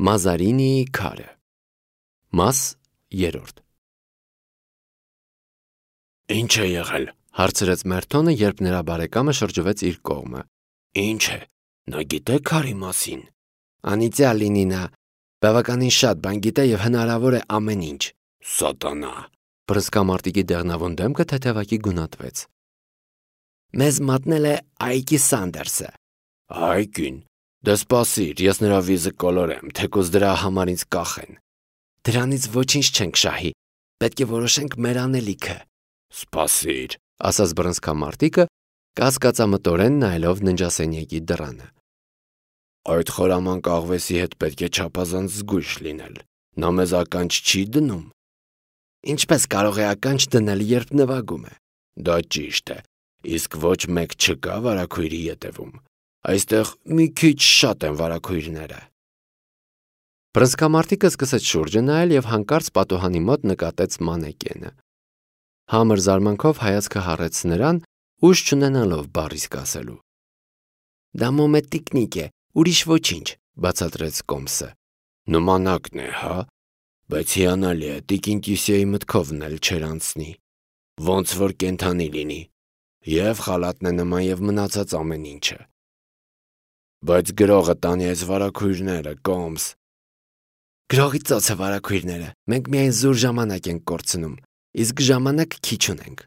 Մազարինիի քարը։ Մաս 3 Ինչ է եղել, հարցրեց Մերթոնը, երբ նրա բարեկամը շրջվեց իր կողմը։ Ինչ է, նա գիտե քարի մասին։ Անիծյալ լինի նա, բավականին շատ բան գիտե եւ հնարավոր է ամեն ինչ։ Սատանա։ Բռնցքամարտիկի դեղնավուն դեմքը թեթևակի գունատվեց։ Մեզ մատնել է Այկի Սանդերսը։ Այկին, դե սպասիր, ես նրա վիզը կոլորեմ, թեկուզ դրա համար ինձ կախեն։ Դրանից ոչինչ չենք շահի, պետք է որոշենք մեր անելիքը։ Սպասիր, ասաց բռնցքամարտիկը, կասկածամտորեն նայելով ննջասենյակի դռանը։ Այդ խորամանկ աղվեսի հետ պետք է չափազանց զգույշ լինել։ Նա մեզ ականջ չի դնում։ Ինչպես կարող է ականջ դնել, երբ նվագում է։ Դա ճիշտ է, իսկ ոչ մեկ չկա վարագույրի ետևում։ Այստեղ մի քիչ շատ են վարագույրները։ Բռնցքամարտիկը սկսեց շուրջը նայել եւ հանկարծ պատուհանի մոտ նկատեց մանեկենը։ Համր զարմանքով հայացքը հառեց նրան, ուժ չունենալով բառիսկ ասելու։ Դա մոմետիկնիկ է, ուրիշ ոչինչ, բացատրեց Կոմսը։ Նմանակն է, հա, բայց հիանալի է, տիկին Կիսիայի մտքովն էլ չեր անցնի։ Ոնց որ կենդանի լինի, եւ խալատն է նման եւ մնացած ամեն ինչը։ Բայց գրողը տանի այս վարագույրները, Կոմս։ Գրողի ծոցը վարագույրները, մենք միայն զուր ժամանակ ենք կորցնում, իսկ ժամանակ քիչ ունենք։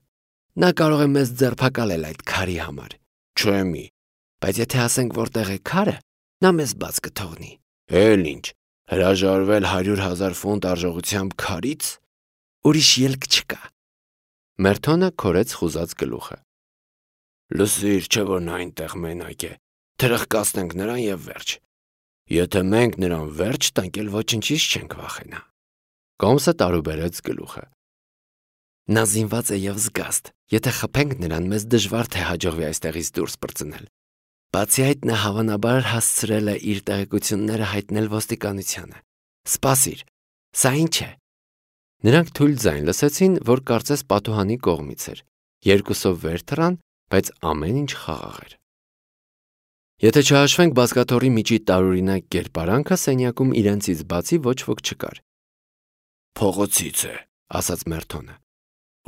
Նա կարող է մեզ ձերբակալել այդ քարի համար։ Չէ՞ մի։ Բայց եթե ասենք որտեղ է քարը, նա մեզ բաց կթողնի։ Էլ ինչ, հրաժարվել 100,000 ֆունտ արժողությամբ քարից։ Ուրիշ ելք չկա։ Մերթոնը քորեց խուզած գլուխը։ Լսիր, չէ՞ որ նա այնտեղ մենակ է։ Թրխկացնենք նրան եւ վերջ։ Եթե մենք նրան վերջ տանք, էլ ոչնչից չենք վախենա։ Կոմսը տարուբերեց գլուխը։ Նա զինված է եւ զգաստ։ Եթե խփենք նրան, մեզ դժվար թե հաջողվի այստեղից դուրս պրծնել։ Բացի այդ, նա հավանաբար հասցրել է իր տեղեկությունները հայտնել ոստիկանությանը։ Սպասիր, սա ինչ է։ Նրանք թույլ ձայն լսեցին, որ կարծես պատուհանի կողմից էր։ Երկուսով վեր թռան, բայց ամեն ինչ խաղաղ էր։ Եթե չհաշվենք բազկաթոռի միջի տարօրինակ կերպարանքը, սենյակում իրենցից բացի ոչ ոք չկար։ Փողոցից է, ասաց Մերթոնը։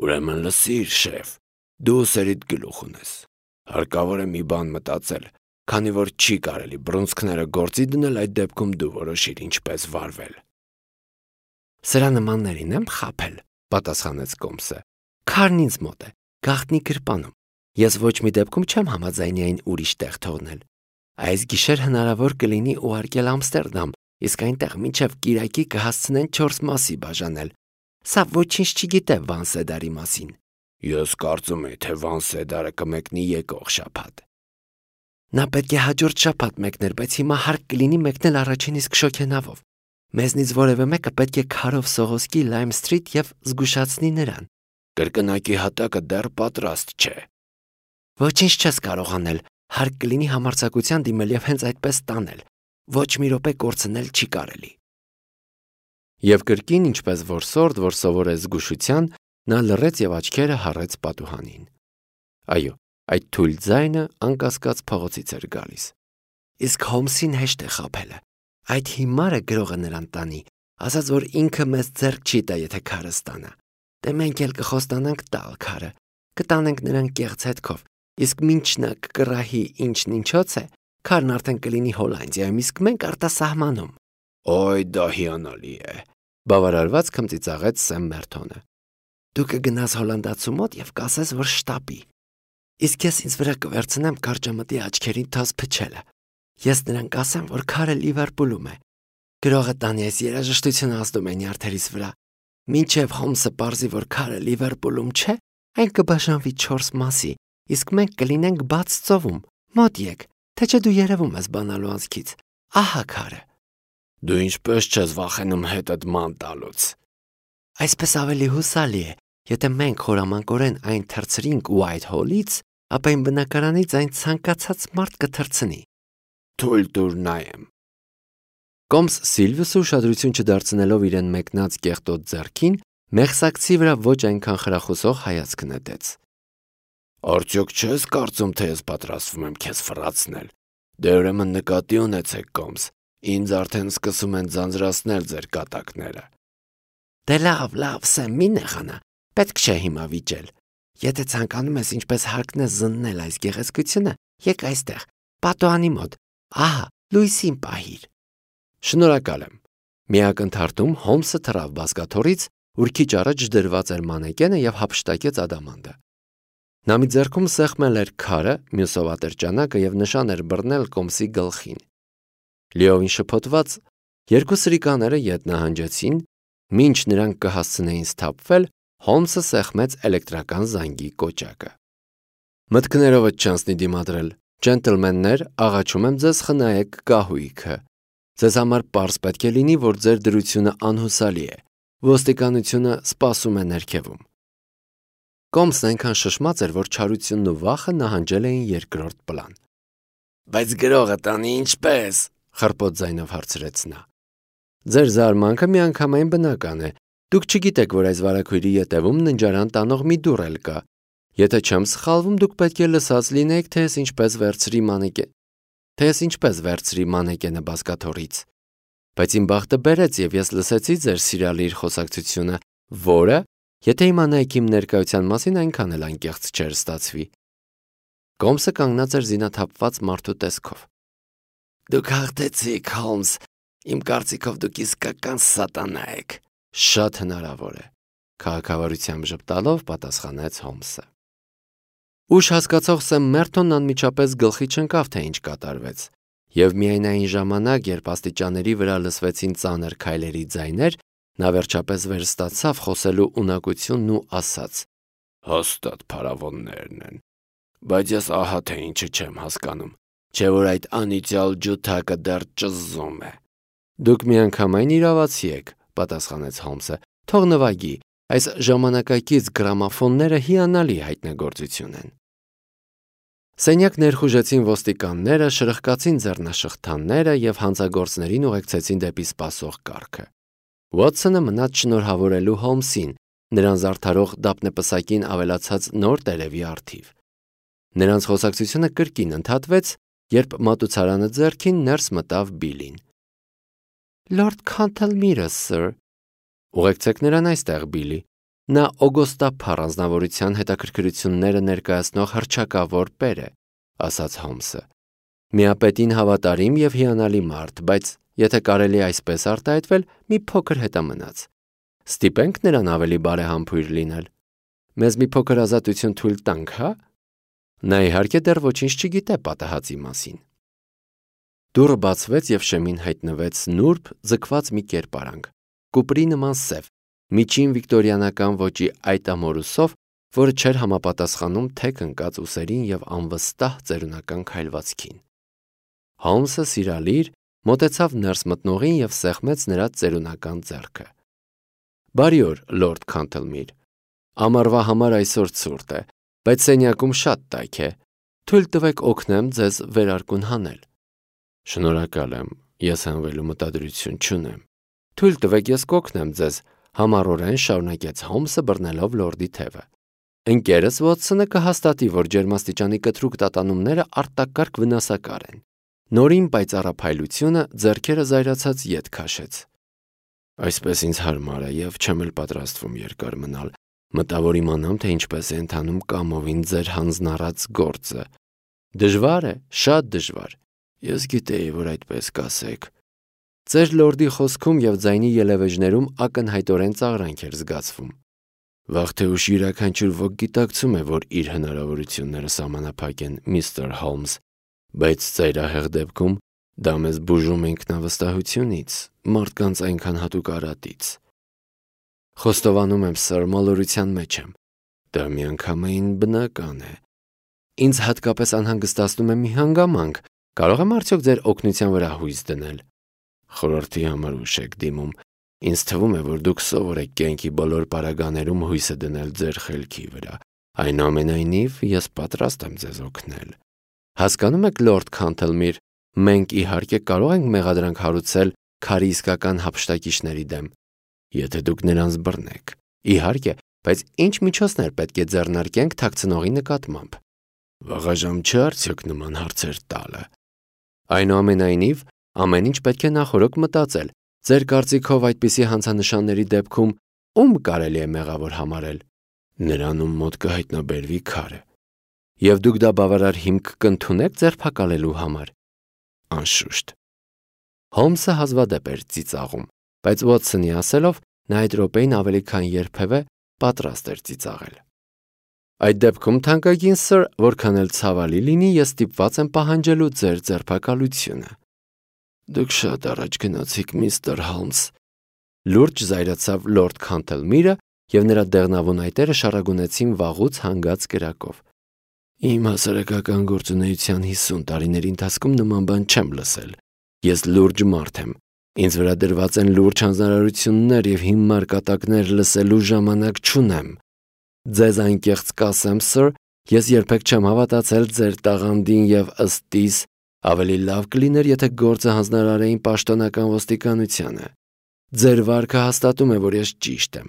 Ուրեմն լսիր, շեֆ, դու սերիդ գլուխ ունես։ Հարկավոր է մի բան մտածել, քանի որ չի կարելի բռունցքները գործի դնել, այդ դեպքում դու որոշիր ինչպես վարվել։ Սրա նմաններին եմ խաբել, պատասխանեց Կոմսը։ Քարն ինձ մոտ է, գաղտնի գրպանում։ Ես ոչ մի դեպքում չեմ համաձայնի այն ուրիշ տեղ թողնել։ Այս գիշեր հնարավոր կլինի ուղարկել Ամստերդամ, իսկ այնտեղ մինչև կիրակի կհասցնեն 4 մասի բաժանել։ Սա ոչինչ չգիտե Վանսեդարի մասին։ Ես կարծում եմ, թե Վանսեդարը կմեկնի եկող շաբաթ։ Նա պետք է հաջորդ շաբաթ մեկներ, բայց հիմա հարկ կլինի մեկնել առաջին իսկ շոգենավով։ Մեզնից որևէ մեկը պետք է քարով սողոսկի Լայմ Սթրիթ եւ զգուշացնի նրան։ Կրկնակի հատակը դեռ պատրաստ չէ։ Ոչինչ չես կարող անել, հարկ կլինի համարձակության դիմել եւ հենց այդպես տանել։ Ոչ մի րոպե կորցնել չի կարելի։ Եվ կրկին, ինչպես որ սորդ, որ սովոր է զգուշության, նա լռեց եւ աչքերը հառեց պատուհանին։ Այո, այդ թույլ ձայնը անկասկած փողոցից էր գալիս։ Իսկ Հոմսին հեշտ է խաբելը։ Այդ հիմարը գրողը նրան տանի, ասաց, որ ինքը մեզ ձեռք չի տա, եթե քարը ստանա։ Դե մենք էլ կխոստանանք տալ քարը, կտանենք նրան կեղծ հետքով, իսկ մինչ նա կկռահի ինչն ինչոց է, քարն արդեն կլինի Հոլանդիայում, իսկ մենք արտասահմանում։ Ոյ, դա հիանալի է, բավարարված քմծիծաղեց Սեմ Մերթոնը։ Դու կգնաս հոլանդացու մոտ եւ կասես, որ շտապի։ Իսկ ես ինձ վրա կվերցնեմ կարճամտի աչքերին թաս փչելը։ Ես նրան կասեմ, որ քարը Լիվերպուլում է։ Գրողը տանի այս երաժշտությունը ազդում է նյարդերիս վրա։ Մինչև Հոմսը պարզի, որ քարը Լիվերպուլում չէ, այն կբաժանվի 4 մասի, իսկ մենք կլինենք բաց ծովում։ Մոտ եկ, թե չէ դու երևում ես բանալու անցքից։ Ահա քարը։ Դու ինչպես չես վախենում հետդ ման տալուց։ Այսպես ավելի հուսալի է, եթե մենք խորամանկորեն այն թռցրինք Ուայթհոլից, ապա այն բնակարանից այն ցանկացած մարդ կթռցնի։ Թույլ տուր նայեմ։ Կոմս Սիլվեսը ուշադրություն չդարձնելով իրեն մեկնած կեղտոտ ձեռքին, մեղսակցի վրա ոչ այնքան խրախուսող հայացք նետեց։ Արդյոք չես կարծում, թե ես պատրաստվում եմ քեզ ֆռացնել։ Դե ուրեմն նկատի ունեցեք, Կոմս, Ինձ արդեն սկսում են ձանձրացնել ձեր կատակները։ Դե լավ, Սեմ, մի նեղանա, պետք չէ հիմա վիճել։ Եթե ցանկանում ես ինչպես հարկն է զննել այս գեղեցկությունը, եկ այստեղ, պատուհանի մոտ, ահա, լույսին պահիր։ Շնորհակալ եմ։ Մի ակնթարթում Հոլմսը թռավ բազկաթոռից, ուր քիչ առաջ դրված էր մանեկենը եւ հափշտակեց ադամանդը։ Նա մի ձեռքում սեղմել էր քարը, մյուսով ատրճանակը եւ նշան էր բռնել Կոմսի գլխին։ Լիովին շփոթված երկու սրիկաները ետ նահանջեցին, մինչ նրանք կհասցնեին սթափվել, Հոլմսը սեղմեց էլեկտրական զանգի կոճակը։ Մտքներովդ չանցնի դիմադրել, ջենտլմեններ, աղաչում եմ ձեզ խնայեք կահույքը։ Ձեզ համար պարզ պետք է լինի, որ ձեր դրությունը անհուսալի է։ Ոստիկանությունը սպասում է ներքևում։ Կոմսն այնքան շշմած էր, որ չարությունն ու վախը նահանջել էին երկրորդ պլան։ Բայց գրողը տանի ինչպես, խռպոտ ձայնով հարցրեց նա։ Ձեր զարմանքը միանգամայն բնական է։ Դուք չգիտեք, որ այս վարագույրի ետևում ննջարան տանող մի դուռ էլ կա։ Եթե չեմ սխալվում, դուք պետք է լսած լինեիք, թե ես ինչպես վերցրի մանեկենը բազկաթոռից։ Բայց իմ բախտը բերեց եւ ես լսեցի ձեր սիրալիր խոսակցությունը, որը, եթե իմանայիք իմ ներկայության մասին, այնքան էլ անկեղծ չէր ստացվի։ Կոմսը կանգնած էր զինաթափված մարդու տեսքով։ Դուք հաղթեցիք, Հոլմս, իմ կարծիքով դուք իսկական սատանա եք։ Շատ հնարավոր է, քաղաքավարությամբ ժպտալով պատասխանեց Հոլմսը։ Ուշ հասկացող Սեմ Մերթոնն անմիջապես գլխի չընկավ, թե ինչ կատարվեց, եւ միայն այն ժամանակ, երբ աստիճանների վրա լսվեցին ծանր քայլերի ձայներ, նա վերջապես վերստացավ խոսելու ունակությունն ու ասաց. Հաստատ փարավոններն են, բայց ես ահա թե ինչը չեմ հասկանում, չէ որ այդ անիծյալ ջութակը դեռ ճզզում է։ Դուք միանգամայն իրավացի եք, պատասխանեց Հոլմսը, թող նվագի, այս ժամանակակից գրամաֆոնները հիանալի հայտնագործություն են։ Սենյակ ներխուժեցին ոստիկանները, շրխկացին ձեռնաշղթաները եւ հանցագործներին ուղեկցեցին դեպի սպասող կառքը։ Ուոթսոնը մնաց շնորհավորելու Հոլմսին, նրան զարդարող դափնեպսակին ավելացած նոր տերևի առթիվ։ Նրանց խոսակցությունը կրկին ընդհատվեց, երբ մատուցարանը ձեռքին ներս մտավ Բիլին։ Լորդ Քանթելմիրը, սըր։ Ուղեկցեք նրան այստեղ, Բիլի։ Նա օգոստափառ անձնավորության հետաքրքրությունները ներկայացնող հռչակավոր պեր է, ասաց Հոլմսը։ Միապետին հավատարիմ եւ հիանալի մարդ, բայց եթե կարելի այսպես արտահայտվել, մի փոքր հետամնաց։ Ստիպենք նրան ավելի բարեհամբույր լինել։ Մեզ մի փոքր ազատություն թույլ տանք, հա։ Նա իհարկե դեռ ոչինչ չգիտե պատահածի մասին։ Դուռը բացվեց եւ շեմին հայտնվեց նուրբ, ձգված մի կերպարանք, կուպրի նման սև, միջին վիկտորիանական ոճի այտամորուսով, որը չէր համապատասխանում թեք ընկած ուսերին եւ անվստահ ծերունական քայլվածքին։ Հոլմսը սիրալիր մոտեցավ ներս մտնողին եւ սեղմեց նրա ծերունական ձեռքը։ Բարի օր, Լորդ Քանթելմիր։ Ամառվա համար այսօր ցուրտ է, բայց սենյակում շատ տաք է։ Թույլ տվեք օգնեմ ձեզ վերարկուն հանել։ Շնորհակալ եմ, ես հանվելու մտադրություն չունեմ։ Թույլ տվեք ես կօգնեմ ձեզ, համառորեն շարունակեց Հոլմսը բռնելով լորդի թևը։ Ընկերս Ուոթսոնը կհաստատի, որ ջերմաստիճանի կտրուկ տատանումները արտակարգ վնասակար են։ Նորին պայծառափայլությունը ձեռքերը զայրացած ետ քաշեց։ Այսպես ինձ հարմար է եւ չեմ էլ պատրաստվում երկար մնալ։ Մտավոր իմանամ, թե ինչպես է ընթանում կամովին ձեր հանձնառած գործը։ Դժվար է, շատ դժվար։ Ես գիտեի, որ այդպես կասեք։ Ձեր լորդի խոսքում եւ ձայնի ելևէջներում ակնհայտորեն ծաղրանք էր զգացվում։ Վաղ թե ուշ յուրաքանչյուր ոք գիտակցում է, որ իր հնարավորությունները սահմանափակ են, միստր Հոլմս, բայց ծայրահեղ դեպքում դա մեզ բուժում է ինքնավստահությունից, մարդկանց այնքան հատուկ արատից։ Խոստովանում եմ, սըր, մոլորության մեջ եմ։ Դա միանգամայն բնական է։ Ինձ հատկապես անհանգստացնում է մի հանգամանք։ Կարող եմ արդյոք ձեր օգնության վրա հույս դնել։ Խորհրդի համար ուշ եք դիմում։ Ինձ թվում է, որ դուք սովոր եք կյանքի բոլոր պարագաներում հույսը դնել ձեր խելքի վրա։ Այնուամենայնիվ, ես պատրաստ եմ ձեզ օգնել։ Հասկանում եք, Լորդ Քանթելմիր, մենք իհարկե կարող ենք մեղադրանք հարուցել քարի իսկական հափշտակիչների դեմ, եթե դուք նրանց բռնեք։ Իհարկե, բայց ինչ միջոցներ պետք է ձեռնարկենք թաքցնողի նկատմամբ։ Վաղաժամ չէ արդյոք նման հարցեր տալը։ Այնուամենայնիվ, Ամեն ինչ պետք է նախօրոք մտածել։ Ձեր կարծիքով այդպիսի հանցանշանների դեպքում ում կարելի է մեղավոր համարել։ Նրան, ում մոտ կհայտնաբերվի քարը։ Եվ դուք դա բավարար հիմք կընդունեք ձերբակալելու համար։ Անշուշտ։ Հոլմսը հազվադեպ էր ծիծաղում, բայց Ուոթսոնի ասելով, նա այդ րոպեին ավելի քան երբևէ պատրաստ էր ծիծաղել։ Այդ դեպքում, թանկագին սըր, որքան էլ ցավալի լինի, ես ստիպված եմ պահանջելու ձեր ձերբակալությունը։ Դուք շատ առաջ գնացիք, միստր Հոլմս։ Լուրջ զայրացավ լորդ Քանթելմիրը, և նրա դեղնավուն այտերը շառագունեցին վաղուց հանգած կրակով։ Իմ հասարակական գործունեության 50 տարիների ընթացքում նման բան չեմ լսել։ Ես լուրջ մարդ եմ։ Ինձ վրա դրված են լուրջ հանձնարարություններ և հիմար կատակներ լսելու ժամանակ չունեմ։ Ձեզ անկեղծ կասեմ, սըր, ես երբեք չեմ հավատացել ձեր տաղանդին և ըստ իս ավելի լավ կլիներ, եթե գործը հանձնարարեին պաշտոնական ոստիկանությանը։ Ձեր վարքը հաստատում է, որ ես ճիշտ եմ։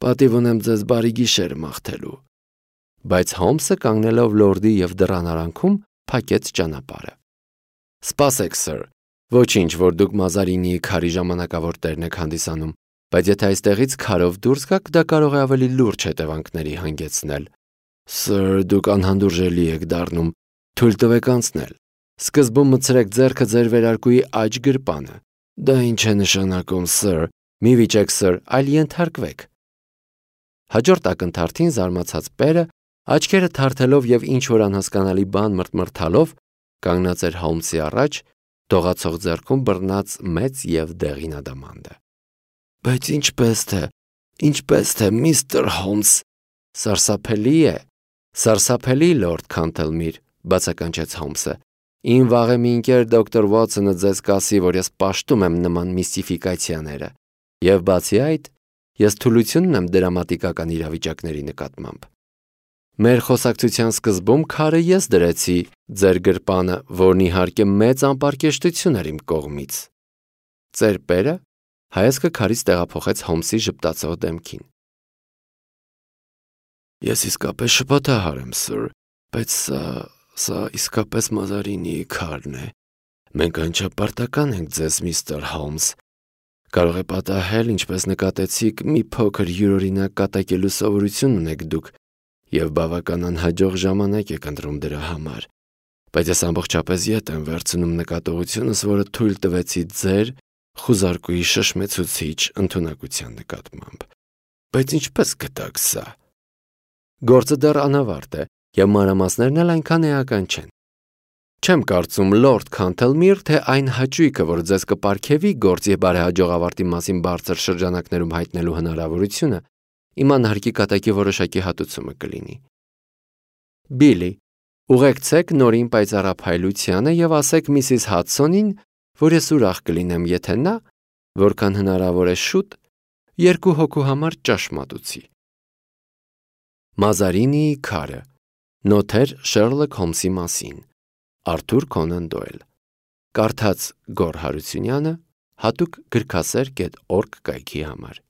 Պատիվ ունեմ ձեզ բարի գիշեր մաղթելու։ Բայց Հոլմսը կանգնելով լորդի և դռան արանքում փակեց ճանապարհը։ Սպասեք, սըր, ոչինչ, որ դուք Մազարինիի քարի ժամանակավոր տերն եք հանդիսանում, բայց եթե այստեղից քարով դուրս գաք, դա կարող է ավելի լուրջ հետևանքների հանգեցնել։ Սըր, դուք անհանդուրժելի եք դառնում, թույլ տվեք անցնել։ Սկզբում մտցրեք ձեռքը ձեր վերարկուի աջ գրպանը։ Դա ինչ է նշանակում, սըր, մի վիճեք, սըր, այլ ենթարկվեք։ Հաջորդ ակնթարթին զարմացած պերը, աչքերը թարթելով և ինչ-որ անհասկանալի բան մրթմրթալով, կանգնած էր Հոլմսի առաջ, դողացող ձեռքում բռնած մեծ և դեղին ադամանդը։ Բայց ինչպես թե, միստր Հոլմս, սարսափելի է, սարսափելի, լորդ Քանթելմիր, բացականչեց Հոլմսը։ Իմ վաղեմի ընկեր դոկտոր Ուոթսոնը ձեզ կասի, որ ես պաշտում եմ նման միստիֆիկացիաները, և բացի այդ, ես թուլություն ունեմ դրամատիկական իրավիճակների նկատմամբ։ Մեր խոսակցության սկզբում քարը ես դրեցի ձեր գրպանը, որն իհարկե մեծ անպարկեշտություն էր իմ կողմից։ Ձեր պերը հայացքը քարից տեղափոխեց Հոլմսի ժպտացող դեմքին։ Ես իսկապես շփոթահար եմ, սըր, բայց սա իսկապես Մազարինիի քարն է։ Մենք անչափ ենք ձեզ, միստր Հոլմս։ Կարող է պատահել, ինչպես նկատեցիք, մի փոքր յուրօրինակ կատակելու սովորություն ունեք դուք և բավական անհաջող ժամանակ եք ընտրում դրա համար, բայց ես ամբողջապես ետ եմ վերցնում նկատողությունս, որը թույլ տվեցի ձեր խուզարկուի շշմեցուցիչ ընդունակության նկատմամբ։ Բայց ինչպես գտաք սա։ Գործը դեռ անավարտ է, և մանրամասներն էլ այնքան էական չեն։ Չեմ կարծում, լորդ Քանթելմիր, թե այն հաճույքը, որ ձեզ կպարգևի գործի բարեհաջող ավարտի մասին բարձր շրջանակներում հայտնելու հնարավորությունը, իմ անհարկի կատակի որոշակի հատուցումը կլինի։ Բիլի, ուղեկցեք նորին պայծառափայլությանը և ասեք միսիս Հադսոնին, որ ես ուրախ կլինեմ, եթե նա, որքան հնարավոր է շուտ, 2 հոգու համար ճաշ մատուցի։ Մազարինիի քարը։ Նոթեր Շերլոք Հոլմսի մասին։ Արթուր Քոնան Դոյլ։ Կարդաց Գոռ Հարությունյանը, հատուկ գրքասեր.org կայքի համար։